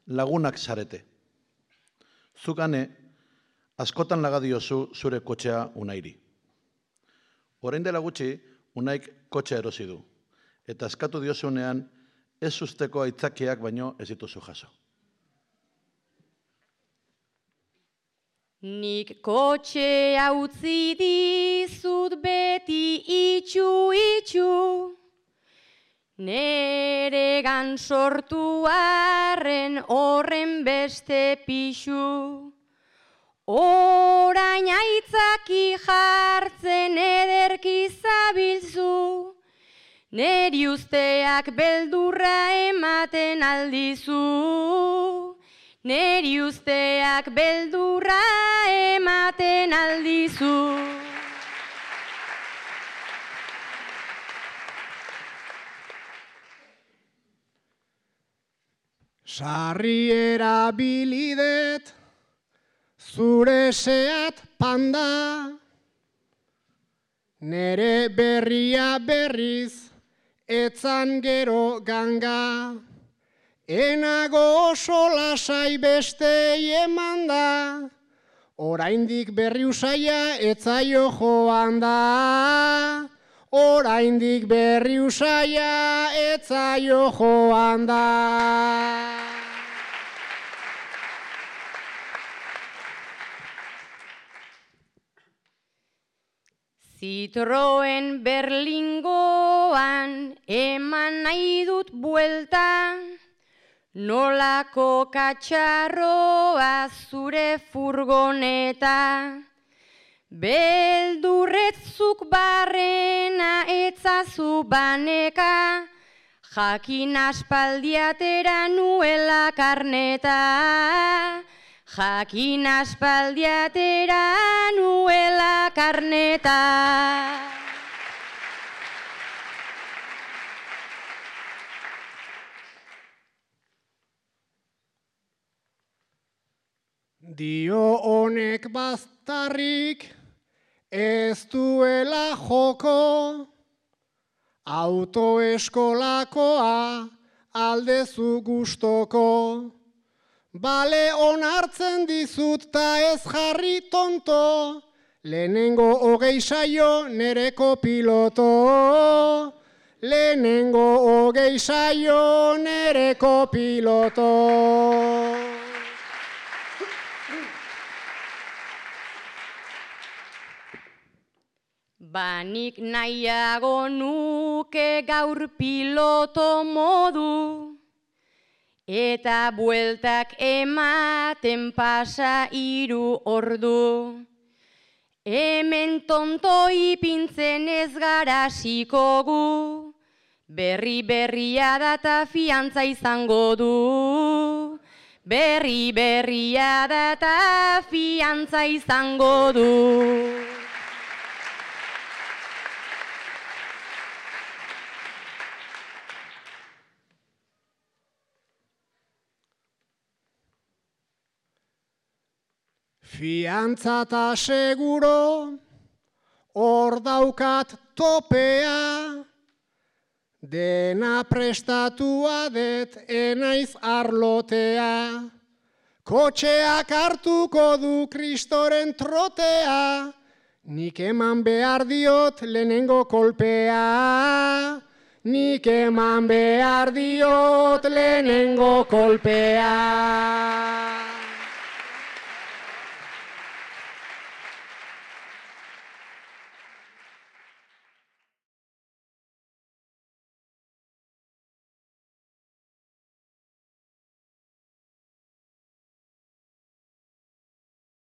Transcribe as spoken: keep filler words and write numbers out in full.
lagunak zarete. Zukane, askotan laga diozu zure kotxea Unairi. Orain dela gutxi, Unaik kotxea erosi du, eta eskatu diozunean ez usteko aitzakiak baino ez dituzu jaso. Nik kotxea utzi dizut beti itxu-itxu, neregan sortu arren horren beste pixu. Orain aitzaki jartzen ederki zabilzu, neri usteak beldurra ematen aldizu. Neri usteak beldurra ematen aldizu. Sarri erabilidet, zure Seat Panda, nere berria berriz, etzan gero ganga. Enago oso lasai bestei eman da, oraindik berri usaia etzaio joan da. Oraindik berri usaia etzaio joan da. Citroen Berlingoan eman nahi dut buelta, nolako katxarroa zure furgoneta. Beldurretzuk barrena etzazu baneka, jakin aspaldiatera nuela karneta. Jakin aspaldiatera nuela karneta. Dio honek baztarrik ez duela joko, autoeskolakoa aldezu gustoko. Bale onartzen dizut ta ez jarri tonto, lehenengo hogei saio nereko piloto. Lehenengo hogei saio nereko piloto. Banik nahiago nuke gaur piloto modu, eta bueltak ematen pasa hiru ordu. Hemen tonto ipintzen ez gara hasiko gu, berri berria data fiantza izango du. Berri berria data fiantza izango du. Fiantza ta seguro, hor daukat topea, dena prestatua det enaiz arlotea. Kotxeak hartuko du Kristoren trotea, nik eman behar diot lehenengo kolpea. Nik eman behar diot lehenengo kolpea.